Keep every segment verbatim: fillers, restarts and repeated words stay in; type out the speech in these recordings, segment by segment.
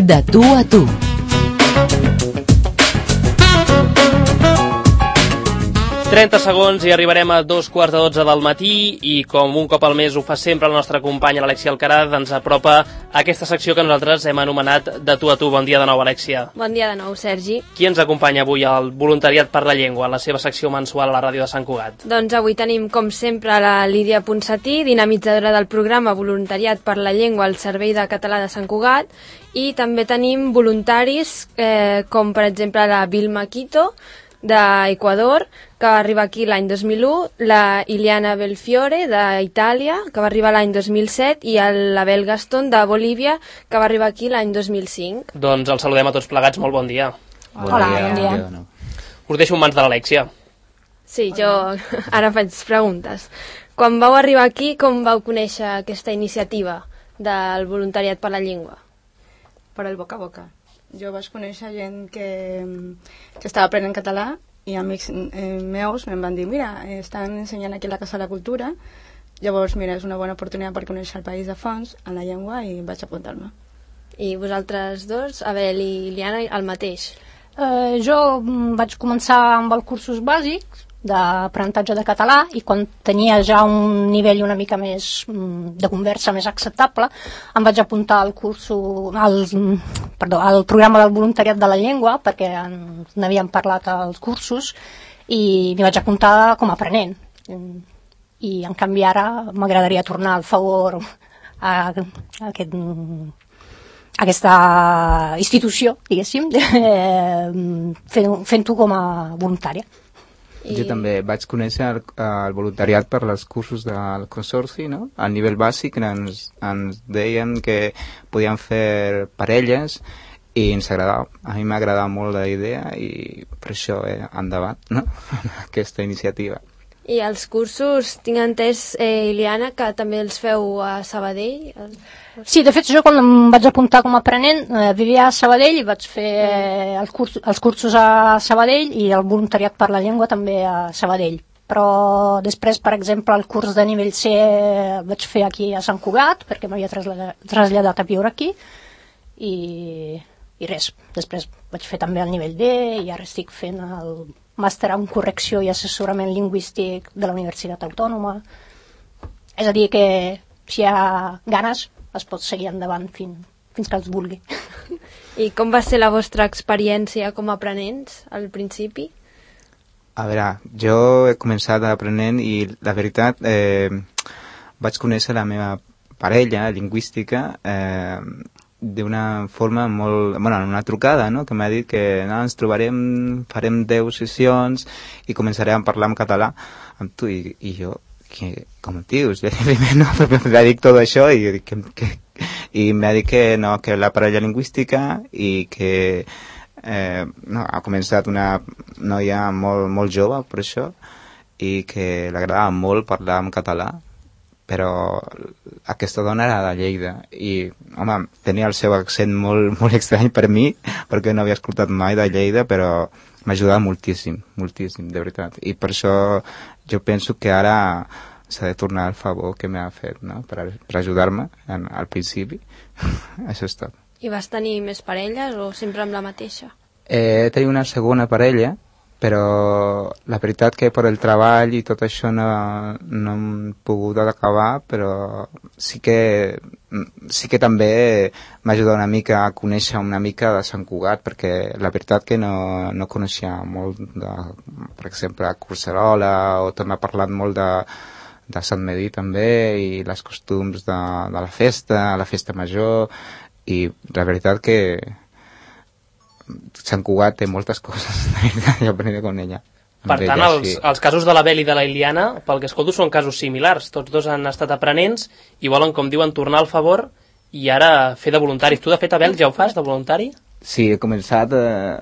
De tu a tu. trenta segons i arribarem a dos quarts de dotze del matí i com un cop al mes ho fa sempre la nostra companya l'Alexia Alcaraz, ens apropa a aquesta secció que nosaltres hem anomenat De tu a tu. Bon dia de nou, Alexia. Bon dia de nou, Sergi. Qui ens acompanya avui al Voluntariat per la Llengua, en la seva secció mensual a la ràdio de Sant Cugat? Doncs avui tenim, com sempre, la Lídia Ponsatí, dinamitzadora del programa Voluntariat per la Llengua al Servei de Català de Sant Cugat, i també tenim voluntaris eh, com, per exemple, la Vilma Quito, d'Equador, que va arribar aquí l'any dos mil u, la Iliana Belfiore, d'Itàlia, que va arribar l'any dos mil set, i l'Abel Gaston, de Bolívia, que va arribar aquí l'any dos mil cinc. Doncs els saludem a tots plegats, molt bon dia. Bon Hola, dia. bon dia. No. Us deixo en mans de l'Alexia. Sí, jo ara faig preguntes. Quan vau arribar aquí, com vau conèixer aquesta iniciativa del voluntariat per la llengua? Per el boca a boca. Jo vaig conèixer gent que, que estava aprenent català i amics eh, meus em van dir, mira, estan ensenyant aquí a la Casa de la Cultura, llavors, mira, és una bona oportunitat per conèixer el país de fons en la llengua i vaig apuntar-me. I vosaltres dos, Abel i Iliana, el mateix? Eh, jo vaig començar amb els cursos bàsics d'aprenentatge de català i quan tenia ja un nivell una mica més de conversa més acceptable em vaig apuntar al curso al, perdó, al programa del voluntariat de la llengua perquè n'havíem parlat als cursos i m'hi vaig apuntar com a aprenent i en canvi ara m'agradaria tornar al favor a, a aquest a aquesta institució, diguéssim, fent-ho com a voluntària. I... Jo també vaig conèixer el, el voluntariat per als cursos del consorci, no? A nivell bàsic ens, ens deien que podíem fer parelles i ens agradava. A mi m'agradava molt la idea i per això eh, endavant, no? Aquesta iniciativa. I els cursos, tinc entès, eh, Iliana, que també els feu a Sabadell? Sí, de fet, jo quan em vaig apuntar com a aprenent eh, vivia a Sabadell i vaig fer eh, els, curs, els cursos a Sabadell i el voluntariat per la llengua també a Sabadell. Però després, per exemple, el curs de nivell C vaig fer aquí a Sant Cugat perquè m'havia traslladat, traslladat a viure aquí i, i res. Després vaig fer també el nivell D i ara estic fent el màster en correcció i assessorament lingüístic de la Universitat Autònoma. És a dir que si hi ha ganes es pot seguir endavant fins, fins que els vulgui. I com va ser la vostra experiència com a aprenents al principi? A veure, jo he començat aprenent i la veritat eh, vaig conèixer la meva parella lingüística eh, d'una forma molt... Bueno, en una trucada, no?, que m'ha dit que no, ens trobarem, farem deu sessions i començarem a parlar en català amb tu i, i jo, que, com et dius? Primer no, m'ha dit tot això i, que, que, i m'ha dit que no, que la parella lingüística i que eh, no, ha començat una noia molt, molt jove per això i que l'agradava molt parlar en català, però aquesta dona era de Lleida i, home, tenia el seu accent molt, molt estrany per mi perquè no havia escoltat mai de Lleida, però m'ha ajudat moltíssim, moltíssim, de veritat. I per això jo penso que ara s'ha de tornar el favor que m'ha fet, no?, per, per ajudar-me en, al principi. Això és tot. I vas tenir més parelles o sempre amb la mateixa? Eh, tenia una segona parella, però la veritat que per el treball i tot això no, no hem pogut acabar, però sí que, sí que també m'ha ajudat una mica a conèixer una mica de Sant Cugat, perquè la veritat que no, no coneixia molt, de, per exemple, a Collserola, o també ha parlat molt de, de Sant Medir també, i les costums de, de la festa, la festa major, i la veritat que Sant Cugat té moltes coses jo aprendré con ella. Per tant, ella, els, sí. els casos de l'Abel i de la Iliana, pel que escolto, són casos similars. Tots dos han estat aprenents i volen, com diuen, tornar al favor i ara fer de voluntaris. Tu, de fet, Abel, ja ho fas, de voluntari? Sí, he començat eh,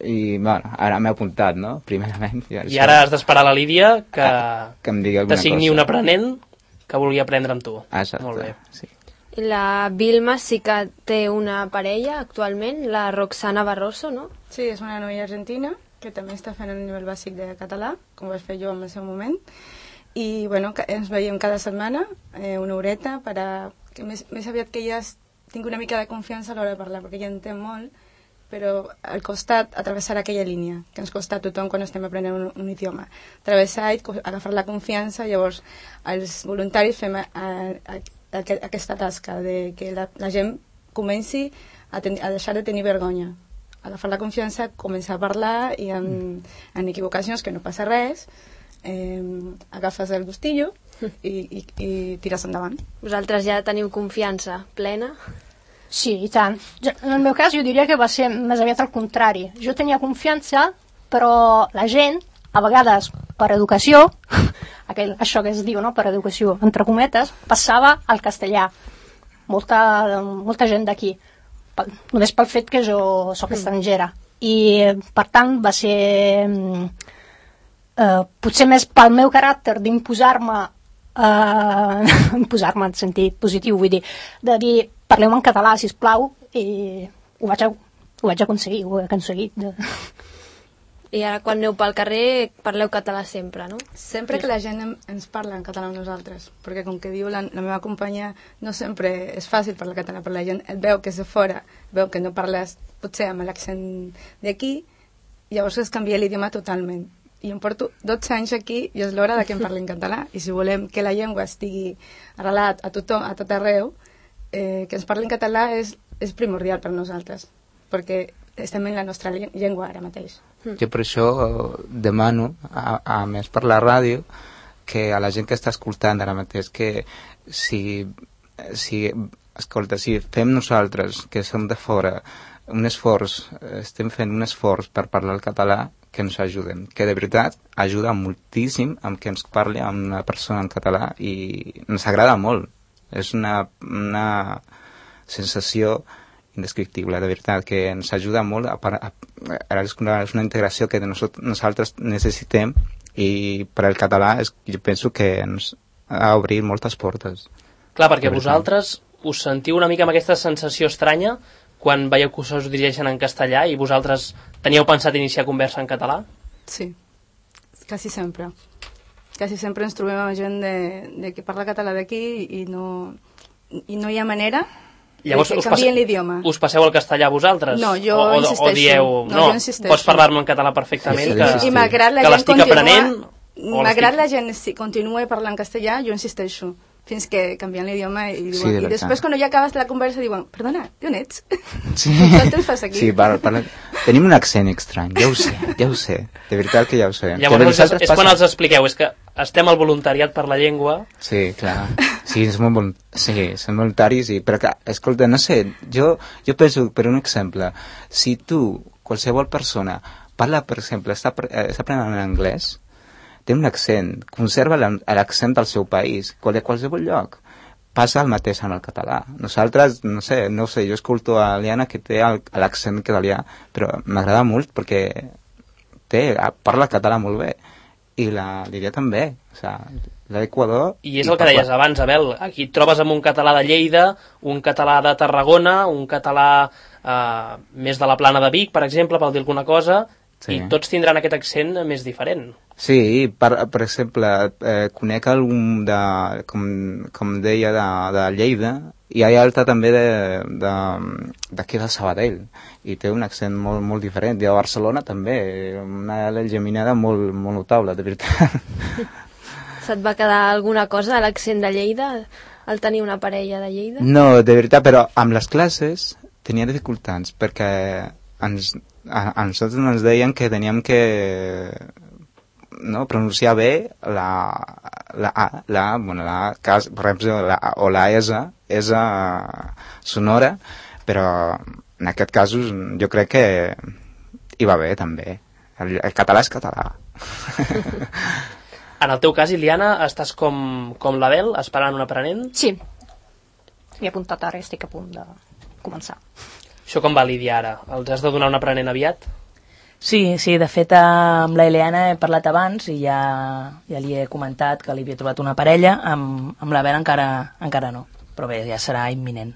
i, bueno, ara m'he apuntat, no?, primerament. I, I ara has d'esperar la Lídia que, que em digui alguna t'assigni cosa. Un aprenent que vulgui aprendre amb tu. Exacte, molt bé. Sí. La Vilma sí que té una parella actualment, la Roxana Barroso, no? Sí, és una noia argentina que també està fent el nivell bàsic de català, com vaig fer jo en el seu moment. I bueno, ens veiem cada setmana, eh, una horeta, per a, que més, més aviat que ella tinc una mica de confiança a l'hora de parlar, perquè ja entenc molt, però al costat, atravessar aquella línia que ens costa a tothom quan estem aprenent un, un idioma. Atravessar i agafar la confiança, llavors els voluntaris fem a, a, a, a, aquesta tasca de que la, la gent comenci a, ten, a deixar de tenir vergonya, agafar la confiança, començar a parlar i en, en equivocacions que no passa res, eh, agafes el gustillo i, i, i tires endavant. Vosaltres ja teniu confiança plena? Sí, i tant. Jo, en el meu cas jo diria que va ser més aviat al contrari. Jo tenia confiança, però la gent, a vegades per educació, aquell, això que es diu, no?, per educació, entre cometes, passava al castellà. Molta, molta gent d'aquí, només pel fet que jo sóc estrangera. I, per tant, va ser eh, potser més pel meu caràcter d'imposar-me, eh, imposar-me en sentit positiu, vull dir, de dir parleu en català, sisplau, i ho vaig, ho vaig aconseguir, ho he aconseguit. I ara quan aneu pel carrer parleu català sempre, no? Sempre que la gent ens parla en català amb nosaltres, perquè com que diu la, la meva companya, no sempre és fàcil parlar català, però la gent et veu que és de fora, veu que no parles potser amb l'accent d'aquí, llavors es canvia l'idioma totalment. I em porto dotze anys aquí i és l'hora de que em parli en català, i si volem que la llengua estigui arrelat a tothom, a tot arreu, eh, que ens parli en català és, és primordial per nosaltres, perquè estem en la nostra llengua ara mateix. Jo per això demano, a, a més per la ràdio, que a la gent que està escoltant ara mateix, que si, si, escolta, si fem nosaltres, que som de fora, un esforç, estem fent un esforç per parlar el català, que ens ajuden, que de veritat ajuda moltíssim amb que ens parli amb una persona en català i ens agrada molt. És una, una sensació indescriptible, de veritat, que ens ajuda molt a, a, a, és una, és una integració que nosaltres necessitem i per al català és, jo penso que ens ha obrit moltes portes. Clar, perquè vosaltres us sentiu una mica amb aquesta sensació estranya quan veieu que us dirigeixen en castellà i vosaltres teníeu pensat iniciar conversa en català? Sí, quasi sempre. Quasi sempre ens trobem amb gent de, de que parla català d'aquí i no, i no hi ha manera Llavors, que canvien l'idioma. Us passeu al castellà vosaltres? No, jo o, o, insisteixo. O dieu, no, no jo insisteixo. Pots parlar-me en català perfectament, sí, que, sí, sí. I malgrat la que gent l'estic aprenent... Malgrat la gent si continua parlant castellà, jo insisteixo, fins que canvien l'idioma i, diuen, sí, i després quan ja acabes la conversa diuen, perdona, d'on ets? Sí, Quant temps fas aquí? sí parla, parla... tenim un accent estrany, ja ho sé, ja ho sé, de veritat que ja ho sé. Llavors és, és quan els expliqueu, és que estem al voluntariat per la llengua. Sí, clar, sí, som, vol... sí, som voluntaris, i... però que, escolta, no sé, jo, jo penso, per un exemple, si tu, qualsevol persona, parla, per exemple, està, està aprenent anglès, té un accent, conserva l'accent del seu país, de qualsevol lloc. Passa el mateix en el català. Nosaltres, no sé, no sé, jo escolto a Liana que té l'accent català, però m'agrada molt perquè té, parla català molt bé. I la Lídia també. O sigui, l'Equador... I és el que deies abans, Abel. Aquí et trobes amb un català de Lleida, un català de Tarragona, un català eh, més de la Plana de Vic, per exemple, per dir alguna cosa, sí. I tots tindran aquest accent més diferent. Sí, per, per exemple, eh, conec algun de, com, com deia, de, de Lleida, i hi ha altre també d'aquí de, de, de Sabadell, i té un accent molt, molt diferent. I a Barcelona també, una geminada molt, molt notable, de veritat. Se't va quedar alguna cosa de l'accent de Lleida, al tenir una parella de Lleida? No, de veritat, però amb les classes tenia dificultats, perquè ens, a, a nosaltres ens deien que teníem que... no, pronunciar bé la la A, la, bueno, la cas, per exemple, la, o la S, S sonora, però en aquest cas jo crec que hi va bé també. El, el català és català. En el teu cas, Iliana, estàs com, com l'Abel, esperant un aprenent? Sí. M'he apuntat ara, estic a punt de començar. Això com va, Lídia, ara? Els has de donar un aprenent aviat? Sí, sí, de fet amb la Ileana he parlat abans i ja, ja li he comentat que li havia trobat una parella, amb, amb l'Abel encara, encara no, però bé, ja serà imminent.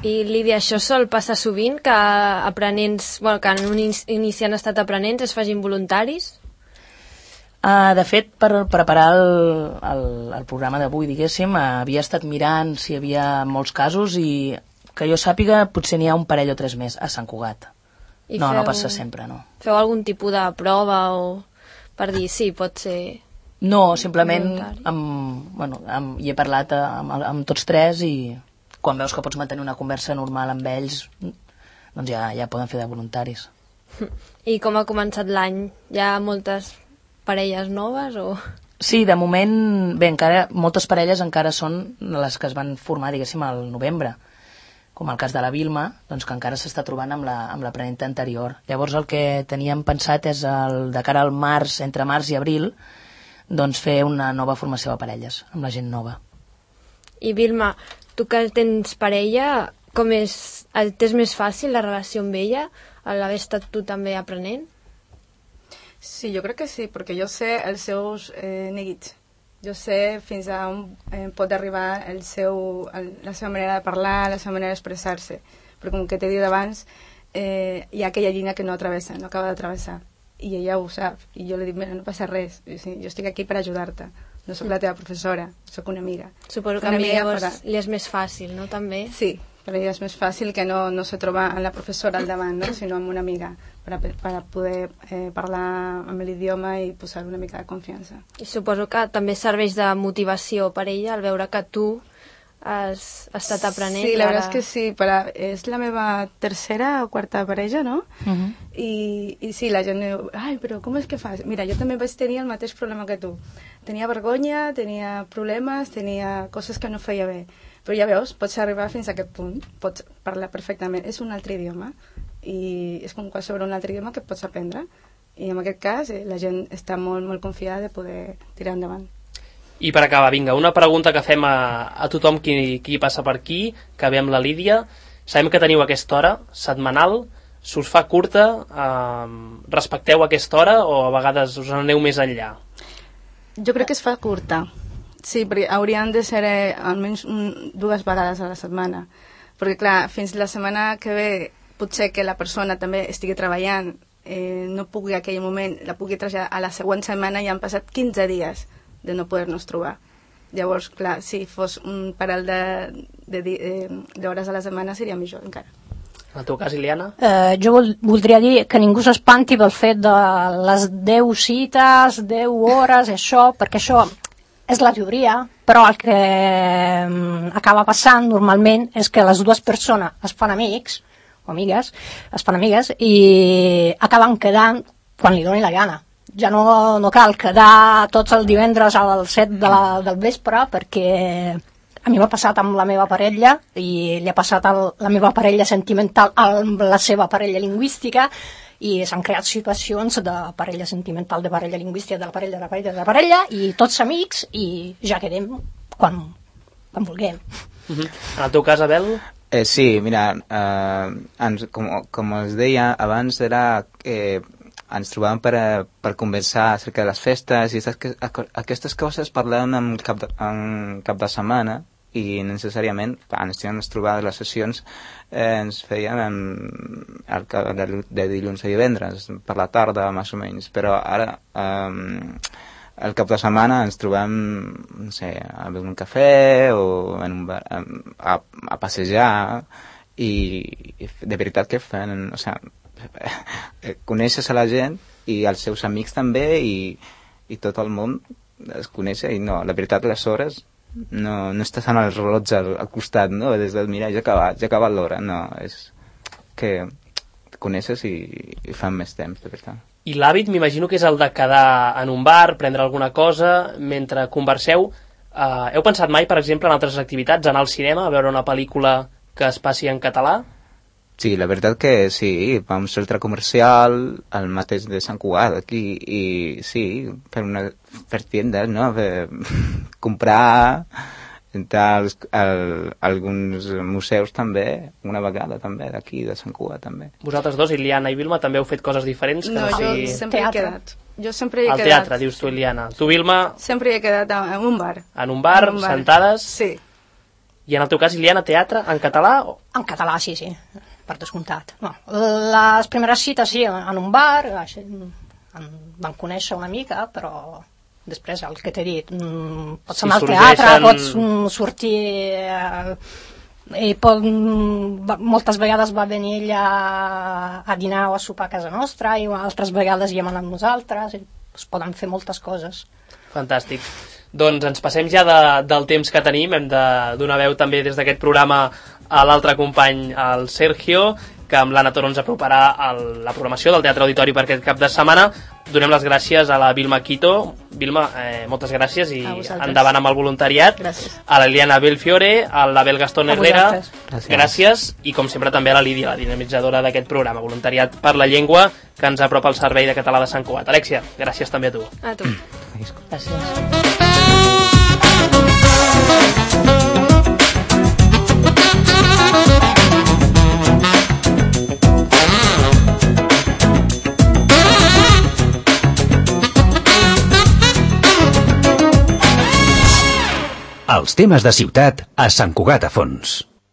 I Lídia, això sol passar sovint que aprenents, bueno, que en un inici han estat aprenents es facin voluntaris? Uh, de fet, per preparar el, el, el programa d'avui, diguéssim, uh, havia estat mirant si hi havia molts casos i que jo sàpiga, potser n'hi ha un parell o tres més a Sant Cugat. I no, feu, no passa sempre, no. Feu algun tipus de prova o per dir, sí, pot ser... No, simplement voluntari. amb, bueno, amb, hi he parlat amb, amb tots tres i quan veus que pots mantenir una conversa normal amb ells, doncs ja, ja poden fer de voluntaris. I com ha començat l'any? Hi ha moltes parelles noves o...? Sí, de moment, bé, encara, moltes parelles encara són les que es van formar, diguéssim, al novembre, com el cas de la Vilma, doncs que encara s'està trobant amb la, amb l'aprenenta anterior. Llavors el que teníem pensat és el, de cara al març, entre març i abril, doncs fer una nova formació de parelles, amb la gent nova. I Vilma, tu que tens parella, com és, t'és més fàcil la relació amb ella, a l'haver estat tu també aprenent? Sí, jo crec que sí, perquè jo sé els seus eh, neguits. Jo sé fins a on eh, pot arribar el seu, el, la seva manera de parlar, la seva manera d'expressar-se. Però com que t'he dit abans, eh, hi ha aquella línia que no atravessa, no acaba d'atravessar. I ella ho sap. I jo li dic, mira, no passa res. Jo, sí, jo estic aquí per ajudar-te. No sóc la teva professora, sóc una amiga. Suposo que una a mi llavors para... li és més fàcil, no? També? Sí, per ella és més fàcil que no, no se troba amb la professora al davant, no? Sinó amb una amiga, per a, per a poder eh, parlar amb l'idioma i posar una mica de confiança. I suposo que també serveix de motivació per ella al veure que tu has estat aprenent. Sí, la ara... veritat és que sí, per a, és la meva tercera o quarta parella, no? Uh -huh. I, I sí, la gent diu, ai, però com és que fas? Mira, jo també vaig tenir el mateix problema que tu. Tenia vergonya, tenia problemes, tenia coses que no feia bé. Però ja veus, pots arribar fins a aquest punt, pots parlar perfectament. És un altre idioma i és com qualsevol un altre idioma que pots aprendre. I en aquest cas eh, la gent està molt, molt confiada de poder tirar endavant. I per acabar, vinga, una pregunta que fem a, a tothom qui, qui passa per aquí, que ve amb la Lídia. Sabem que teniu aquesta hora setmanal, s'us fa curta, eh, respecteu aquesta hora o a vegades us aneu més enllà? Jo crec que es fa curta, sí, perquè haurien de ser eh, almenys un, dues vegades a la setmana, perquè clar, fins la setmana que ve potser que la persona també estigui treballant, eh, no pugui en aquell moment, la pugui traslladar a la següent setmana i han passat quinze dies de no poder-nos trobar. Llavors, clar, si fos un parell d'hores a la setmana seria millor encara. En el teu cas, Iliana? Eh, jo vol, voldria dir que ningú s'espanti pel fet de les deu cites, deu hores, això, perquè això és la teoria, però el que eh, acaba passant normalment és que les dues persones es fan amics, o amigues, es fan amigues, i acaben quedant quan li doni la gana. Ja no, no cal quedar tots els divendres a les set de la, del vespre, perquè a mi m'ha passat amb la meva parella i li ha passat a la meva parella sentimental amb la seva parella lingüística i s'han creat situacions de parella sentimental, de parella lingüística, de la parella, de la parella, de la parella i tots amics i ja quedem quan, quan vulguem. Uh-huh. En el teu cas, Abel? Eh, sí, mira, eh, ens, com, com us deia abans, era que eh, ens trobàvem per, per conversar acerca de les festes i aquestes, aquestes coses parlàvem en cap de, en cap de setmana i necessàriament ens tenen trobades les sessions eh, ens feien en, el, de, de dilluns a divendres per la tarda més o menys, però ara eh, el cap de setmana ens trobem no sé, a beure un cafè o en un bar, a, a passejar i, i de veritat que fan, o sigui, coneixes a la gent i als seus amics també i, i tot el món es coneix i no, la veritat les hores no, no estàs amb el rellotge al, al costat, no? Des de, mira, ja ha acabat, ja ha acabat l'hora, no, és que coneixes i, i fan més temps, de veritat. I l'hàbit m'imagino que és el de quedar en un bar, prendre alguna cosa mentre converseu. Uh, heu pensat mai, per exemple, en altres activitats, anar al cinema, a veure una pel·lícula que es passi en català? Sí, la veritat que sí, vam al centre comercial, al mateix de Sant Cugat, aquí, i sí, fer, una, fer tiendes, no? Fer, comprar, entrar als, al, alguns museus també, una vegada també, d'aquí, de Sant Cugat també. Vosaltres dos, Iliana i Vilma, també heu fet coses diferents? Que no, no jo sigui... sempre teatre. he quedat. Jo sempre he Al quedat. teatre, dius tu, Iliana. Tu, Vilma? Sempre he quedat en un bar. En un bar, en un bar. sentades? Sí. I en el teu cas, Iliana, teatre, en català? O... En català, sí, sí, per descomptat. No. Les primeres cites, sí, en un bar, així, en van conèixer una mica, però després el que t'he dit, pots Si anar al sorgeixen... teatre, pots sortir I pot, moltes vegades va venir ella a, a dinar o a sopar a casa nostra, i altres vegades hi hem anat nosaltres, i es poden fer moltes coses. Fantàstic. Doncs ens passem ja de, del temps que tenim, hem de donar veu també des d'aquest programa a l'altre company, el Sergio, que amb l'Anna Toro ens aproparà el, la programació del Teatre Auditori per aquest cap de setmana. Donem les gràcies a la Vilma Quito. Vilma, eh, moltes gràcies i endavant amb el voluntariat. Gràcies. A la Liliana Belfiore, a l'Abel Gastón Herrera. Gràcies. Gràcies. I com sempre també a la Lídia, la dinamitzadora d'aquest programa, Voluntariat per la Llengua, que ens apropa al Servei de Català de Sant Cugat. Alexia, gràcies també a tu. A tu. Gràcies. Els temes de ciutat a Sant Cugat a Fons.